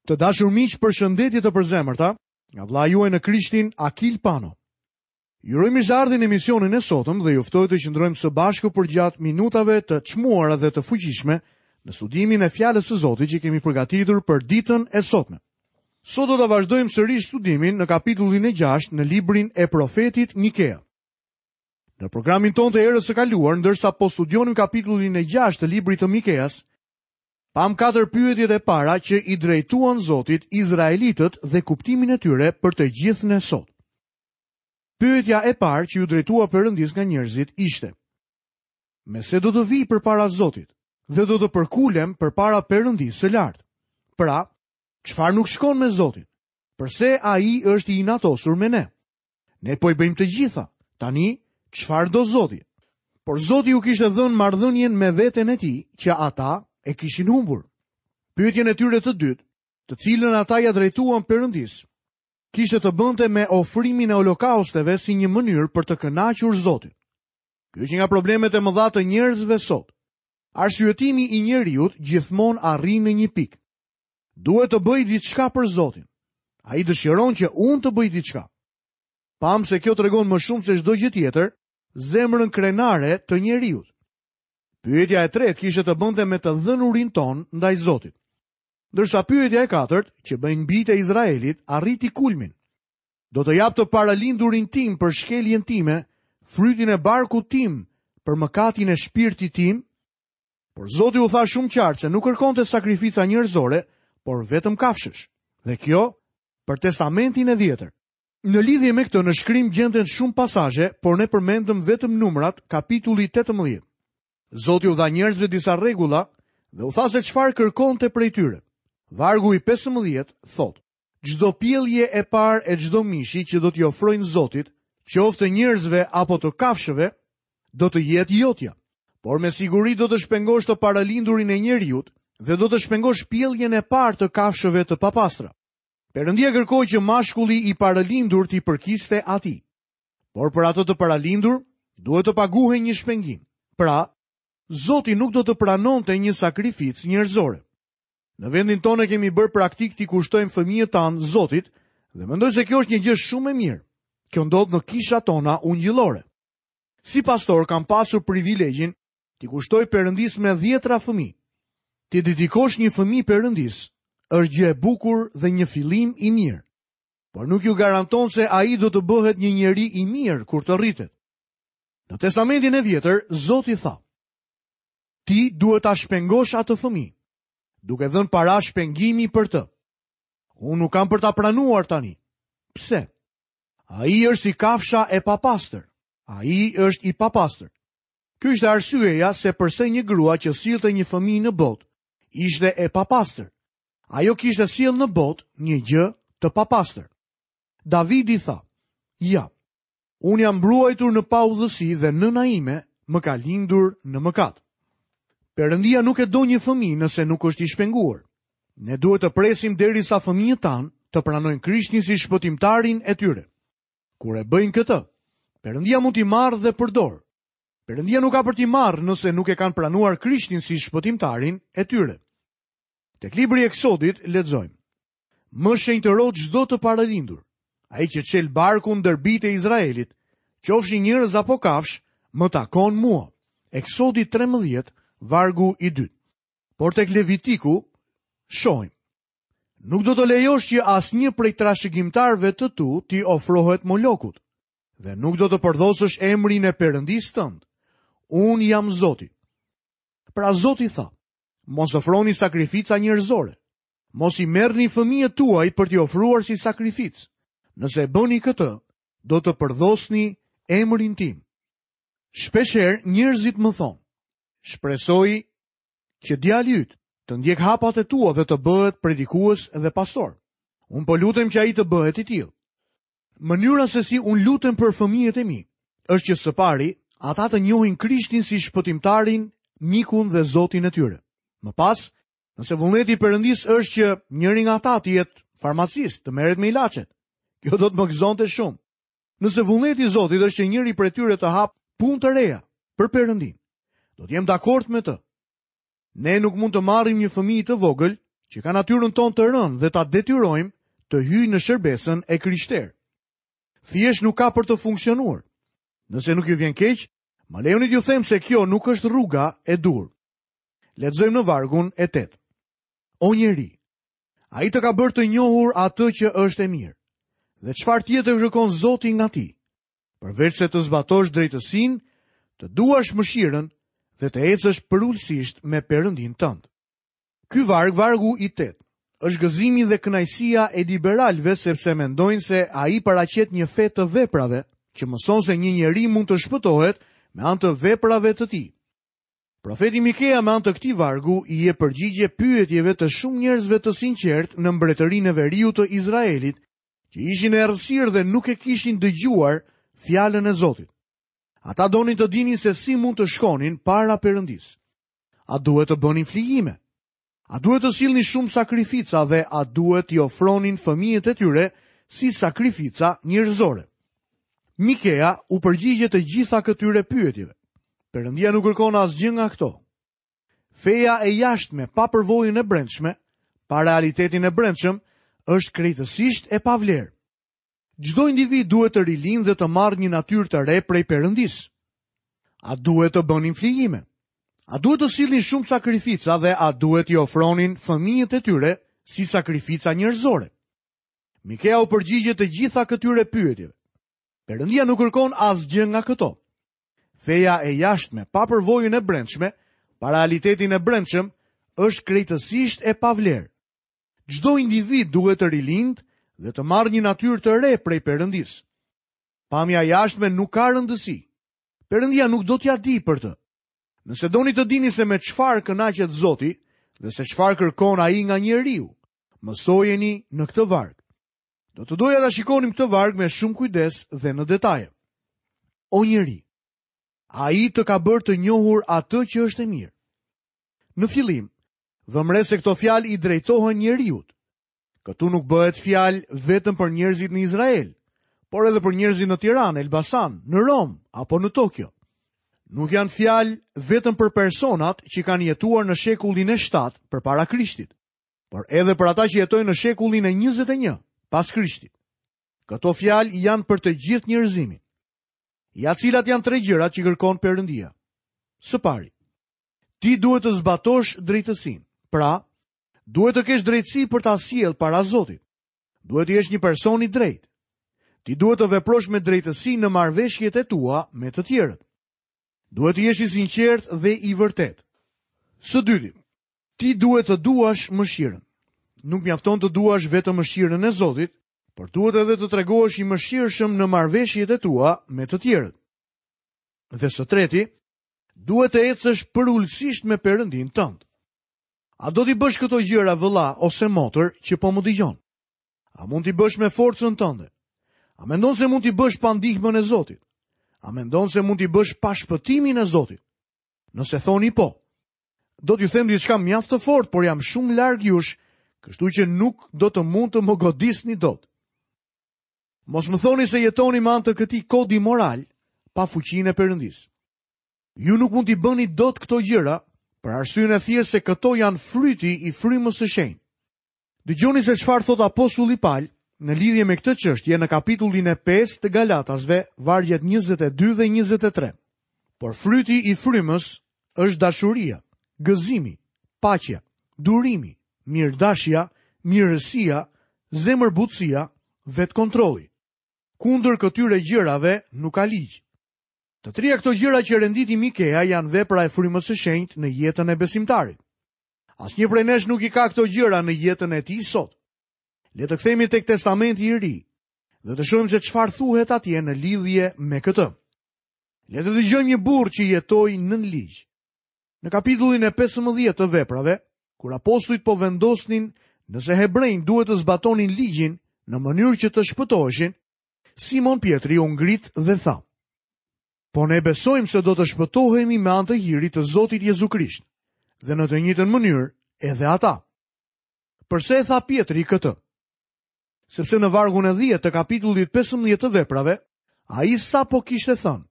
Të dashur miq, përshëndetje të përzemërta nga vëllai juaj në Krishtin Akil Pano. Ju uroj mirëseardhjen në emisionin e sotëm dhe ju ftoj të qëndrojmë së bashku përgjatë minutave të çmuara dhe të fuqishme në studimin e fjalës së Zotit që kemi përgatitur për ditën e sotme. Sot do ta vazhdojmë sërish studimin në kapitullin e 6 në librin e profetit Mikea. Në programin tonë të herës së kaluar, ndërsa po studionim kapitullin e 6 të librit të Mikeas, pamë katër pyetjet e para që i drejtuan Zotit izraelitët dhe kuptimin e tyre për të gjithë ne sot. Pyetja e parë që iu drejtua Perëndisë nga njerëzit ishte: Me se do të vij përpara Zotit dhe do të përkulem përpara Perëndisë së lartë? Pra, çfarë nuk shkon me Zotin? Përse ai është i inatosur me ne? Ne po i bëjmë të gjitha. Tani, çfarë do Zoti? Por Zoti u kishte dhënë marrëdhënien me veten e tij që ata e kishin humbur. Pyetjen e tyre të dytë, të cilën ata ia drejtuan Perëndisë, kishte të bënte me ofrimin e holokausteve si një mënyrë për të kënaqur Zotin. Ky është një nga problemet e mëdha të njerëzve sot. Arsyetimi i njeriut gjithmonë arrin në një pikë. Duhet të bëj diçka për Zotin. Ai dëshiron që unë të bëj diçka. Pamë se kjo tregon më shumë se çdo gjë tjetër, zemrën krenare të njeriut. Pyetja e tretë kishte të bënte me të dhënurin tonë ndaj Zotit. Ndërsa pyetja e katërt, që bëjnë bijtë e Izraelit, arriti kulmin. Do të jap të paralindurin tim për shkeljen time, frytin e barkut tim për mëkatin e shpirtit tim? Por Zoti u tha shumë qartë se nuk kërkonte sakrifica njerëzore, por vetëm kafshësh. Dhe kjo për testamentin e vjetër. Në lidhje me këtë në shkrim gjenden shumë pasazhe, por ne përmendëm vetëm numrat, kapitulli 18. Zoti u dha njerëzve disa rregulla dhe u tha se çfarë kërkonte prej tyre. Vargu i 15 thotë: Çdo pjellje e parë e çdo mishi që do t'i ofrojnë Zotit, qoftë të njerëzve apo të kafshëve, do të jetë jotja. Por me siguri do të shpengosh të paralindurin e njeriut dhe do të shpengosh pjelljen e parë të kafshëve të papastra. Perëndia kërkoi që mashkulli i paralindur t'i përkiste atij. Por për atë të paralindur, duhet të paguhej një shpengim. Pra, Zoti nuk do të pranonte një sakrificë njerëzore. Në vendin tonë e kemi bërë praktikë t'i kushtojmë fëmijët tanë Zotit dhe mendoj se kjo është një gjë shumë e mirë. Kjo ndodh në kishat tona ungjillore. Si pastor kam pasur privilegjin t'i kushtoj Perëndisë me dhjetra fëmijë. T'i dedikosh një fëmijë Perëndisë është gjë e bukur dhe një fillim i mirë. Por nuk ju garanton se ai do të bëhet një njeri i mirë kur të rritet. Në Testamentin e Vjetër, Zoti tha: Ti duhet ta shpengosh atë fëmijë, duke dhënë para shpengimi për të. Unë nuk kam për ta pranuar tani. Pse? Ai është si kafsha e papastër. Ai është i papastër. Kjo ishte arsyeja se përse një grua që sillte një fëmijë në botë ishte e papastër. Ajo kishte sjellë në botë një gjë të papastër. Davidi tha: "Ja, unë jam mbruajtur në paudhësi dhe nëna ime më ka lindur në mëkat." Perëndia nuk e do një fëmijë nëse nuk është i shpenguar. Ne duhet të presim derisa fëmijët tanë të pranojnë Krishtin si shpëtimtarin e tyre. Kur e bëjnë këtë, Perëndia mund t'i marrë dhe përdorë. Perëndia nuk ka për t'i marrë nëse nuk e kanë pranuar Krishtin si shpëtimtarin e tyre. Tek libri i Eksodit lexojmë: Më shenjtëro çdo të parëlindur, ai që çel barkun ndër bijtë e Izraelit, qofshin njerëz apo kafshë, më takon mua. Eksodi 13, vargu i dytë. Por tek Levitiku shohim. Nuk do të lejosh që asnjë prej trashëgimtarëve të tu t'i ofrohet Molokut dhe nuk do të përdhosësh emrin e Perëndisë tënd. Unë jam Zoti. Pra Zoti tha, mos ofroni sakrifica njerëzore. Mos i merrni fëmijët tuaj për t'i ofruar si sakrificë. Nëse e bëni këtë, do të përdhosni emrin tim. Shpeshherë njerëzit më thonë, shpresoj që djali yt të ndjekë hapat e tua dhe të bëhet predikues dhe pastor. Unë po lutem që ai të bëhet i tillë. Mënyra se si unë lutem për fëmijët e mi është që së pari ata të njohin Krishtin si shpëtimtarin, mikun dhe Zotin e tyre. Më pas, nëse vullneti i Perëndisë është që njëri nga ata të jetë farmacist, të merret me ilaçet, kjo do të më gëzonte shumë. Nëse vullneti i Zotit është që njëri prej tyre të hapë punë të reja për Perëndinë, do të jem dakord me të. Ne nuk mund të marrim një fëmijë të vogël që ka natyrën tonë të rënë dhe ta detyrojmë të hyjë në shërbesën e krishterë. Thjesht nuk ka për të funksionuar. Nëse nuk ju vjen keq, më lejoni t'ju them se kjo nuk është rruga e duhur. Lexojmë në vargun e 8. O njeri, ai të ka bërë të njohur atë që është e mirë. Dhe çfarë tjetër kërkon Zoti nga ti? Përveçse të zbatosh drejtësinë, të duash mëshirën dhe të ecësh përulësisht me Perëndinë tënd. Ky varg, vargu i 8, është gëzimi dhe kënaqësia e liberalëve sepse mendojnë se ai paraqet një fe të veprave, që mëson se një njeri mund të shpëtohet me anë të veprave të tij. Profeti Mikea me anë të këtij vargu i jep përgjigje pyetjeve të shumë njerëzve të sinqertë në mbretërinë e veriut të Izraelit, që ishin në errësirë dhe nuk e kishin dëgjuar fjalën e Zotit. Ata donin të dinin se si mund të shkonin para Perëndisë. A duhet të bënin flijime? A duhet të sillnin shumë sakrifica dhe a duhet t'i ofronin fëmijët e tyre si sakrifica njerëzore? Mikea u përgjigjet të gjitha këtyre pyetjeve. Perëndia nuk kërkon asgjë nga këto. Feja e jashtme pa përvojën e brendshme, pa realitetin e brendshëm, është krejtësisht e pavlerë. Çdo individ duhet të rilindë dhe të marrë një natyrë të re prej Perëndisë. A duhet të bënin flijime? A duhet të sillnin shumë sakrifica dhe a duhet t'i ofronin fëmijët e tyre si sakrifica njerëzore? Mikea u përgjigjet të gjitha këtyre pyetjeve. Perëndia nuk kërkon asgjë nga këto. Feja e jashtme, pa përvojën e brendshme, pa realitetin e brendshëm, është krejtësisht e pavlerë. Çdo individ duhet të rilindë dhe të marrë një natyrë të re prej Perëndisë. Pamja e jashtme nuk ka rëndësi. Perëndia nuk do t'ia dijë për të. Nëse doni të dini se me çfarë kënaqet Zoti dhe se çfarë kërkon ai nga njeriu, mësojeni në këtë varg. Do të doja ta shikonim këtë varg me shumë kujdes dhe në detaje. O njeri, ai të ka bërë të njohur atë që është e mirë. Në fillim, vëmë re se këto fjalë i drejtohen njeriut. Këtu nuk bëhet fjalë vetëm për njerëzit në Izrael, por edhe për njerëzit në Tiranë, Elbasan, në Romë apo në Tokio. Nuk janë fjalë vetëm për personat që kanë jetuar në shekullin e 7 përpara Krishtit, por edhe për ata që jetojnë në shekullin e 21 pas Krishtit. Këto fjalë janë për të gjithë njerëzimin. Ja cilat janë tre gjërat që kërkon Perëndia. Së pari, ti duhet të zbatosh drejtësinë. Pra, Duhet të kesh drejtësi për ta sjellë para Zotit. Duhet të jesh një person i drejtë. Ti duhet të veprosh me drejtësi në marrëveshjet e tua me të tjerët. Duhet të jesh i sinqertë dhe i vërtetë. Së dyti, ti duhet të duash mëshirën. Nuk mjafton të duash vetëm mëshirën e Zotit, por duhet edhe të tregohesh i mëshirshëm në marrëveshjet e tua me të tjerët. Dhe së treti, duhet të ecësh përulësisht me Perëndinë tënd. A do t'i bësh këto gjëra vëlla ose motër që po më dëgjon? A mund t'i bësh me forcën tënde? A mendon se mund t'i bësh pa ndihmën e Zotit? A mendon se mund t'i bësh pa shpëtimin e Zotit? Nëse thoni po, do t'ju them diçka mjaft të fortë, por jam shumë larg jush, kështu që nuk do të mund të më godisni dot. Mos më thoni se jetoni me anë të këtij kodi moral pa fuqinë e Perëndisë. Ju nuk mund t'i bëni dot këto gjëra, për arsyen e thjeshtë se këto janë fryti i frymës së shenjtë. Dëgjoni se çfarë thotë apostulli Pal në lidhje me këtë çështje në kapitullin e 5 të Galatasve, vargjet 22 dhe 23. Por fryti i frymës është dashuria, gëzimi, paqja, durimi, mirëdashja, mirësia, zemërbutësia, vetëkontrolli. Kundër këtyre gjërave nuk ka ligj. Të tria këto gjëra që renditi Mikea janë vepra e frymës së shenjtë në jetën e besimtarit. Asnjë prej nesh nuk i ka këto gjëra në jetën e tij sot. Le të kthehemi tek Testamenti i Ri dhe të shohim se çfarë thuhet atje në lidhje me këtë. Le të dëgjojmë një burrë që jetoi nën ligj. Në kapitullin e 15 të veprave, kur apostujt po vendosnin nëse hebrenjtë duhet të zbatonin ligjin në mënyrë që të shpëtoheshin, Simon Pjetri u ngrit dhe tha, Po ne besojmë se do të shpëtohemi me anë të hirit të Zotit Jezu Krisht, dhe në të njëjtën mënyrë edhe ata. Përse e tha Pjetri këtë? Sepse në vargun e 10 të kapitullit 15 të veprave, ai sapo kishte thënë,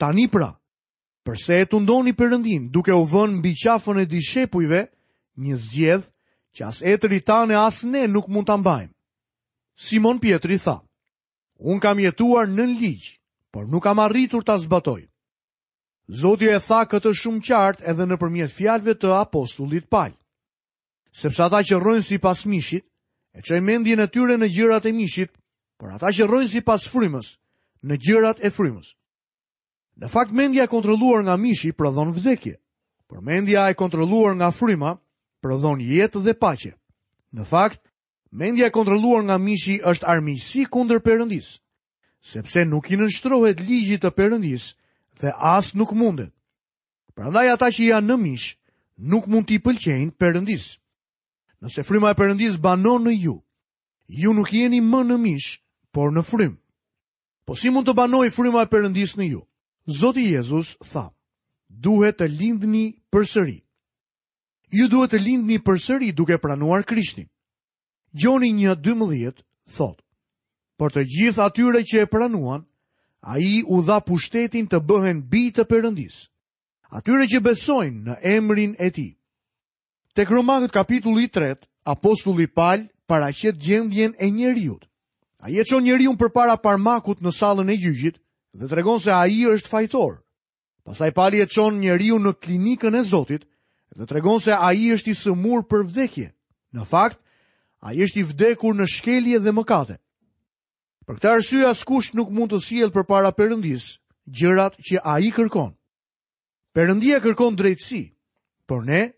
tani pra, përse e tundoni Perëndinë duke u vënë mbi qafën e dishepujve një zgjedhë. që as etërit tanë e as ne nuk mund ta mbajmë. Simon Pjetri tha, Unë kam jetuar nën ligj, por nuk kam arritur ta zbatoj. Zoti e tha këtë shumë qartë edhe nëpërmjet fjalëve të apostullit Pal. Sepse ata që rrojnë sipas mishit, e çojnë mendjen e tyre në gjërat e mishit, por ata që rrojnë sipas frymës, në gjërat e frymës. Në fakt mendja e kontrolluar nga mishi prodhon vdekje, por mendja e kontrolluar nga fryma prodhon jetë dhe paqe. Në fakt, mendja e kontrolluar nga mishi është armiqësi kundër Perëndisë, sepse nuk i nënshtrohet ligjit të Perëndisë dhe as nuk mundet. Prandaj ata që janë në mish nuk mund t'i pëlqejnë Perëndisë. Nëse fryma e Perëndisë banon në ju, ju nuk jeni më në mish, por në frymë. Po si mund të banojë fryma e Perëndisë në ju? Zoti Jezus tha, duhet të lindni përsëri. Ju duhet të lindni përsëri duke pranuar Krishtin. Gjoni 1:12 thotë: Por të gjithë atyre që e pranuan, ai u dha pushtetin të bëhen bij të Perëndisë, atyre që besojnë në emrin e tij. Tek Romakët kapitulli i 3, apostulli Pal paraqet gjendjen e njeriut. Ai e çon njeriun përpara parmakut në sallën e gjyqit dhe tregon se ai është fajtor. Pastaj Pali e çon njeriun në klinikën e Zotit dhe tregon se ai është i sëmurë për vdekje. Në fakt, ai është i vdekur në shkelje dhe mëkate. Për këtë arsye askush nuk mund të sjellë përpara Perëndisë gjërat që ai kërkon. Perëndia kërkon drejtësi, por ne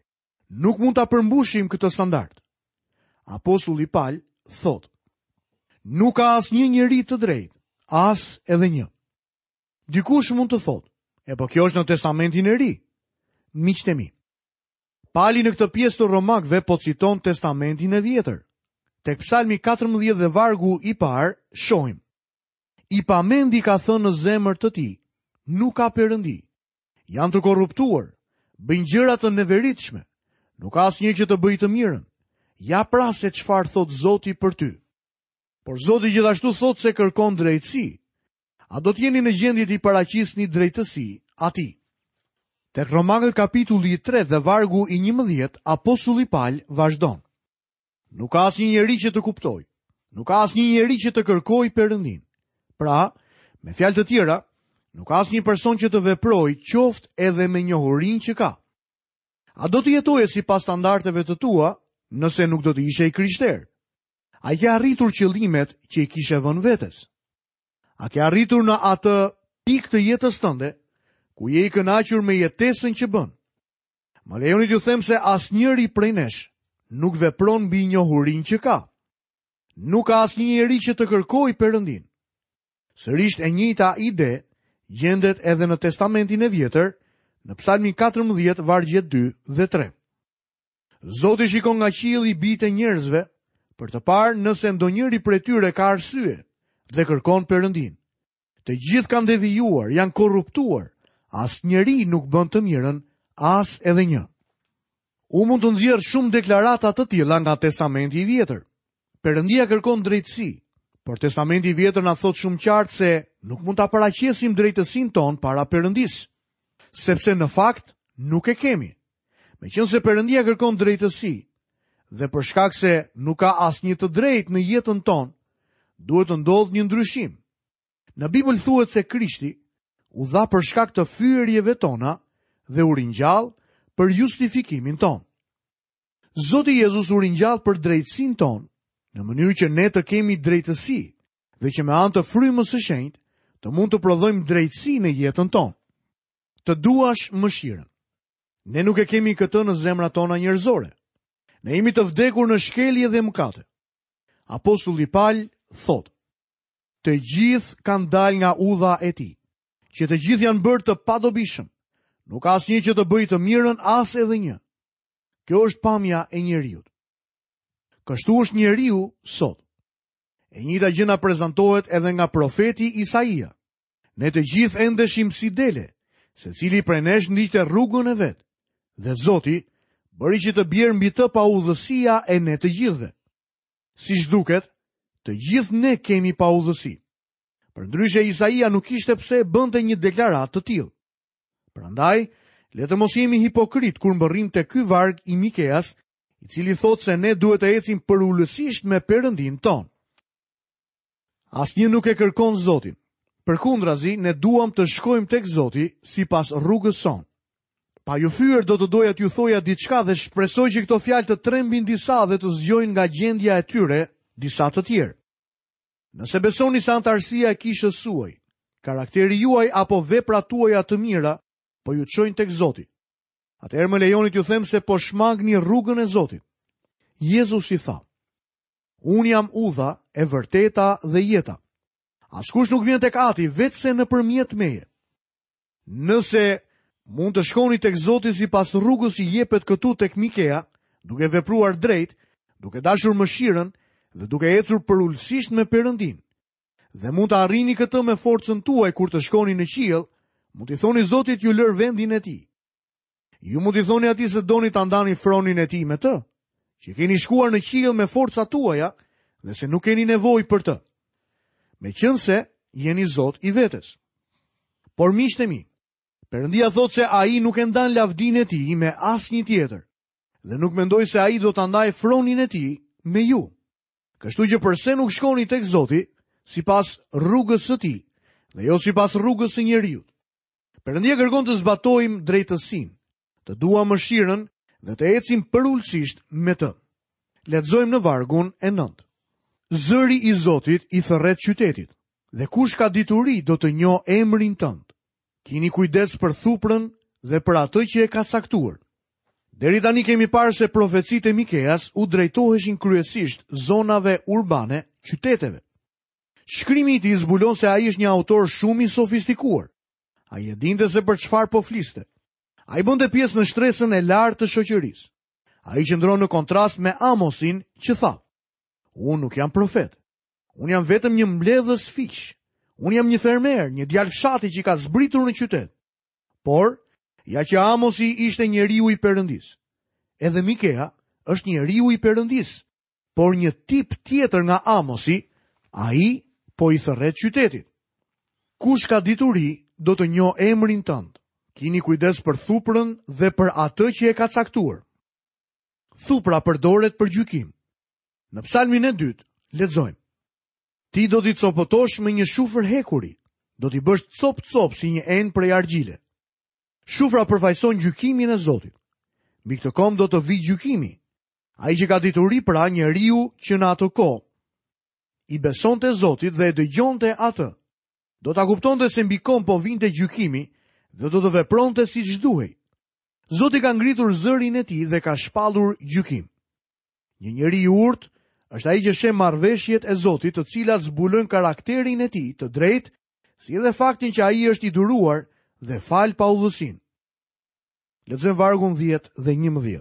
nuk mund ta përmbushim këtë standard. Apostulli Pal thotë: Nuk ka asnjë njeri të drejtë, as edhe një. Dikush mund të thotë, e po kjo është në Testamentin e Ri. Miqtë e mi. Pali në këtë pjesë të Romakëve po citon Testamentin e Vjetër. Tek Psalmi 14 dhe vargu i parë shohim. I pamendi ka thënë në zemër të tij, nuk ka perëndi. Janë të korruptuar, bëjnë gjëra të neveritshme. Nuk ka asnjë që të bëjë të mirën. Ja pra se çfarë thotë Zoti për ty. Por Zoti gjithashtu thotë se kërkon drejtësi. A do të jeni në gjendje t'i paraqisni drejtësi atij? Tek Romakët kapitulli i 3 dhe vargu i 11, apostulli Pal vazhdon. Nuk ka asnjë njeri që të kuptojë. Nuk ka asnjë njeri që të kërkojë Perëndinë. Pra, me fjalë të tjera, nuk ka asnjë person që të veprojë qoftë edhe me njohurinë që ka. A do të jetoje sipas standardeve të tua, nëse nuk do të ishe i krishterë? A i ke arritur qëllimet që i kishe vënë vetes? A ke arritur në atë pikë të jetës tënde, ku je i kënaqur me jetesën që bën? Më lejoni t'ju them se asnjëri prej nesh nuk vepron mbi njohurinë që ka. Nuk ka asnjë njeri që të kërkojë Perëndinë. Sërish e njëjta ide gjendet edhe në Testamentin e Vjetër, në Psalmin 14, vargjet 2 dhe 3. Zoti shikon nga qielli bijtë e njerëzve për të parë nëse ndonjëri prej tyre ka arsye dhe kërkon Perëndinë. Të gjithë kanë devijuar, janë korruptuar. Asnjëri nuk bën të mirën, as edhe një. Unë mund të nxjerr shumë deklarata të tilla nga Testamenti i Vjetër. Perëndia kërkon drejtësi, por Testamenti i Vjetër na thotë shumë qartë se nuk mund ta paraqesim drejtësinë tonë para Perëndisë, sepse në fakt nuk e kemi. Meqenëse Perëndia kërkon drejtësi dhe për shkak se nuk ka asnjë të drejtë në jetën tonë, duhet të ndodhë një ndryshim. Në Bibël thuhet se Krishti u dha për shkak të fyerjeve tona dhe u ringjall për justifikimin tonë. Zoti Jezus u ringjall për drejtësinë tonë, në mënyrë që ne të kemi drejtësi dhe që me anë të frymës së shenjtë të mund të prodhojmë drejtësi në jetën tonë. Të duash mëshirën. Ne nuk e kemi këtë në zemrat tona njerëzore. Ne jemi të vdekur në shkelje dhe mëkate. Apostulli Pal thotë: Të gjithë kanë dalë nga udha e tij, që të gjithë janë bërë të padobishëm. Nuk ka asnjë që të bëjë të mirën, as edhe një. Kjo është pamja e njeriut. Kështu është njeriu sot. E njëjta gjë na prezantohet edhe nga profeti Isaia. Ne të gjithë endeshim si dele, secili prej nesh ndiqte rrugën e vet. Dhe Zoti bëri që të bjerë mbi të paudhësia e ne të gjithëve. Siç duket, të gjithë ne kemi paudhësi. Përndryshe Isaia nuk kishte pse bënte një deklaratë të tillë. Prandaj, le të mos jemi hipokritë kur mbërrijmë te ky varg i Mikeas, i cili thotë se ne duhet të ecim përulësisht me Perëndinë tonë. Asnjë nuk e kërkon Zotin. Përkundrazi, ne duam të shkojmë tek Zoti sipas rrugës sonë. Pa ju fyer do të doja t'ju thoja diçka dhe shpresoj që këto fjalë të trembin disa dhe të zgjojnë nga gjendja e tyre disa të tjerë. Nëse besoni se anëtarësia e kishës suaj, karakteri juaj apo veprat tuaja të mira po ju çojnë tek Zoti, atëherë më lejoni t'ju them se po shmangni rrugën e Zotit. Jezusi tha: Unë jam udha, e vërteta dhe jeta. Askush nuk vjen tek Ati veçse nëpërmjet meje. Nëse mund të shkoni tek Zoti sipas rrugës që jepet këtu tek Mikea, duke vepruar drejt, duke dashur mëshirën dhe duke ecur përulësisht me Perëndinë. Dhe mund ta arrini këtë me forcën tuaj kur të shkoni në qiell, mund t'i thoni Zotit t'ju lërë vendin e tij. Ju mund t'i thoni atij se doni ta ndani fronin e tij me të, që keni shkuar në qiell me forcat tuaja dhe se nuk keni nevojë për të. Meqenëse jeni zot i vetes. Por miqtë e mi, Perëndia thotë se ai nuk e ndan lavdinë e tij me asnjë tjetër dhe nuk mendoj se ai do ta ndajë fronin e tij me ju. Kështu që përse nuk shkoni tek Zoti sipas rrugës së tij dhe jo sipas rrugës së njeriut? Perëndia kërkon të zbatojmë drejtësinë, të duam mëshirën dhe të ecim përulësisht me të. Lexojmë në vargun e 9. Zëri i Zotit i thërret qytetit, dhe kush ka dituri do të njohë emrin tënd. Kini kujdes për thuprën dhe për atë që e ka caktuar. Deri tani kemi parë se profecitë e Mikeas u drejtoheshin kryesisht zonave urbane, qyteteve. Shkrimi i tij zbulon se ai është një autor shumë i sofistikuar. Ai e dinte se për çfarë po fliste. Ai bënte pjesë në shtresën e lartë të shoqërisë. Ai qëndron në kontrast me Amosin që tha: Unë nuk jam profet. Unë jam vetëm një mbledhës fiqsh. Unë jam një fermer, një djalë fshati që ka zbritur në qytet. Por, ja që Amosi ishte njeriu i Perëndisë. Edhe Mikea është njeriu i Perëndisë. Por një tip tjetër nga Amosi, ai po i thërret qytetit. Kush ka dituri, do të njohë emrin tënd. Kini kujdes për thuprën dhe për atë që e ka caktuar. Thupra përdoret për gjykim. Në psalmin e dytë, lexojmë. Ti do t'i copëtosh me një shufër hekuri, do t'i bësh copë-copë si një enë prej argjile. Shufra përfaqëson gjykimin e Zotit. Mbi këtë komb do të vijë gjykimi, Ai që ka dituri pra njeriu që në atë kohë i besonte Zotit dhe e dëgjonte atë, do ta kuptonte se mbi komb po vinte gjykimi dhe do të vepronte siç duhej. Zoti ka ngritur zërin e tij dhe ka shpallur gjykim. Një njeri i urtë është ai që sheh marrëveshjet e Zotit, të cilat zbulojnë karakterin e tij të drejtë, si edhe faktin që ai është i duruar dhe fal paudhësinë. Lexojmë vargun 10 dhe 11.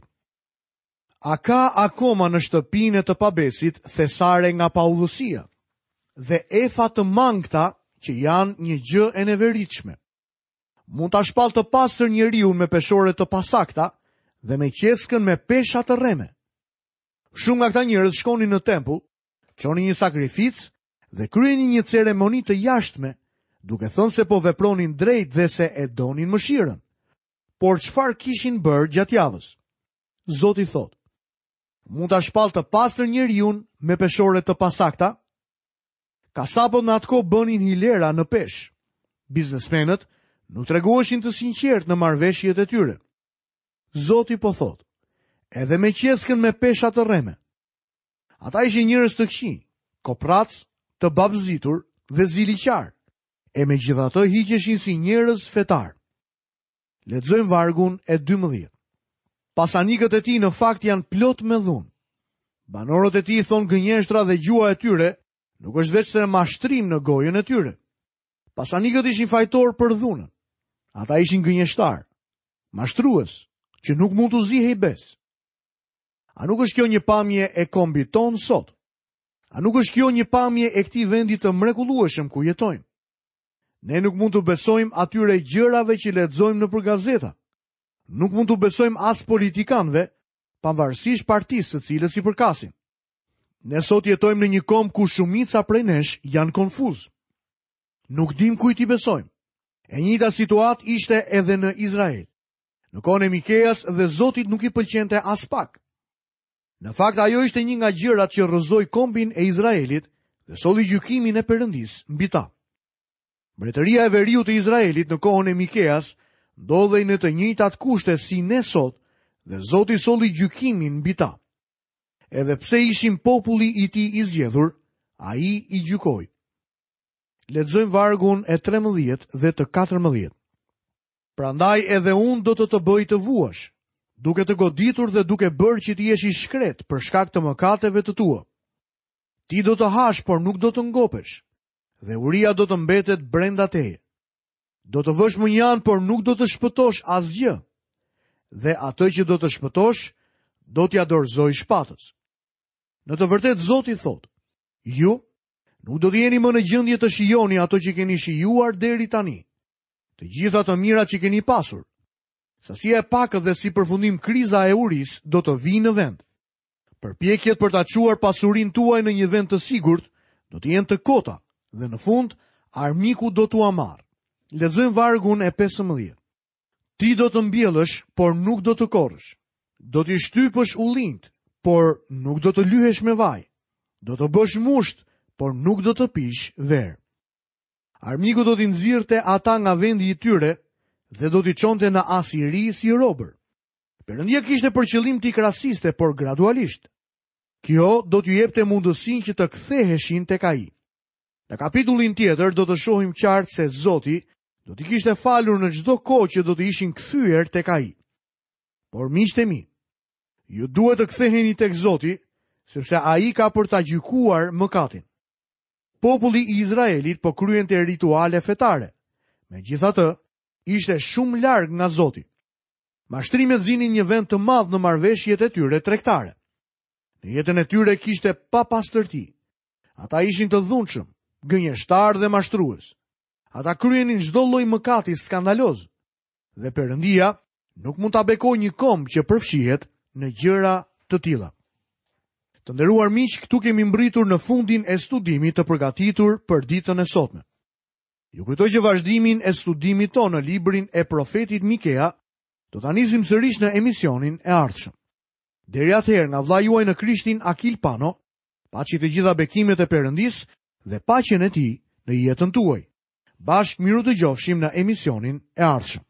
A ka akoma në shtëpinë e të pabesit thesare nga paudhësia dhe efa të mangëta që janë një gjë e neveritshme? Mund ta shpallë të pastër njeriun me peshore të pasakta dhe me qeskën me pesha të rreme. Shumë nga këta njerëz shkonin në tempull, çonin një sakrificë dhe kryenin një ceremoni të jashtme, duke thënë se po vepronin drejt dhe se e donin mëshirën. Por çfarë kishin bërë gjatë javës? Zoti thotë, mund ta shpallë të pastër njeriun me peshore të pasakta? Kasapët në atë kohë bënin hilera në peshë. Biznesmenët nuk tregoheshin të sinqertë në marrëveshjet e tyre. Zoti po thotë, edhe me qeskën me pesha të rreme. Ata ishin njerëz të këqij, koprracë, të babëzitur dhe ziliqarë, e megjithatë hiqeshin si njerëz fetarë. Lexojmë vargun e 12. Pasanikët e tij në fakt janë plot me dhunë. Banorët e tij thonë gënjeshtra dhe gjuha e tyre nuk është veçse mashtrim në gojën e tyre. Pasanikët ishin fajtorë për dhunën. Ata ishin gënjeshtarë, mashtrues, që nuk mund t'u zihej besë. A nuk është kjo një pamje e kombit tonë sot? A nuk është kjo një pamje e këtij vendi të mrekullueshëm ku jetojmë? Ne nuk mund t'u besojmë atyre gjërave që lexojmë nëpër gazeta. Nuk mund t'u besojmë as politikanëve, pavarësisht partisë së cilës i përkasin. Ne sot jetojmë në një komb ku shumica prej nesh janë konfuzë. Nuk dimë kujt t'i besojmë. E njëjta situatë ishte edhe në Izrael. Në kohën e Mikeas dhe Zotit nuk i pëlqente aspak. Në fakt ajo ishte një nga gjërat që rrëzoi kombin e Izraelit dhe solli gjykimin e Perëndisë mbi ta. Mbretëria e veriut të Izraelit në kohën e Mikeas ndodhej në të njëjtat kushte si ne sot dhe Zoti solli gjykimin mbi ta. Edhe pse ishin populli i tij i zgjedhur, ai i gjykoi. Lexojmë vargun e 13 dhe të 14. Prandaj edhe unë do të të bëj të vuash, duke të goditur dhe duke bërë që të jesh i shkretë për shkak të mëkateve të tua. Ti do të hash, por nuk do të ngopesh, dhe uria do të mbetet brenda teje. Do të vësh mënjanë, por nuk do të shpëtosh asgjë. Dhe atë që do të shpëtosh, do t'ia dorëzoj shpatës. Në të vërtetë Zoti thotë, ju nuk do të jeni më në gjendje të shijoni ato që keni shijuar deri tani. Të gjitha të mirat që keni pasur. Sasia e pakët dhe si përfundim kriza e urisë do të vijë në vend. Përpjekjet për ta çuar pasurinë tuaj në një vend të sigurt do të jenë të kota dhe në fund armiku do t'ua marrë. Lexojmë vargun e 15. Ti do të mbjellësh, por nuk do të korrësh. Do t'i shtypësh ullinjtë, por nuk do të lyhesh me vaj. Do të bësh musht, por nuk do të pish verë. Armiku do t'i nxirrte ata nga vendi i tyre dhe do t'i çonte në Asiri si robër. Perëndia kishte për qëllim t'i krasiste, por gradualisht. Kjo do t'u jepte mundësinë që të ktheheshin tek ai. Në kapitullin tjetër do të shohim qartë se Zoti do t'i kishte falur në çdo kohë që do të ishin kthyer tek ai. Por miqtë e mi, ju duhet të ktheheni tek Zoti, sepse ai ka për ta gjykuar mëkatin. Populli i Izraelit po kryente rituale fetare. Megjithatë, ishte shumë larg nga Zoti. Mashtrimet zinin një vend të madh në marrëveshjet e tyre tregtare. Në jetën e tyre kishte papastërti. Ata ishin të dhunshëm, gënjeshtarë dhe mashtrues. Ata kryenin çdo lloj mëkati skandaloz. Dhe Perëndia nuk mund ta bekojë një komb që përfshihet në gjëra të tilla. Të nderuar miq, këtu kemi mbërritur në fundin e studimit të përgatitur për ditën e sotme. Ju kujtoj që vazhdimin e studimit tonë në librin e profetit Mikea do ta nisim sërish në emisionin e ardhshëm. Deri atëherë nga vëllai juaj në Krishtin Akil Pano, paçi të gjitha bekimet e Perëndisë dhe paqen e tij në jetën tuaj. Bashkë mirudëgjofshim në emisionin e ardhshëm.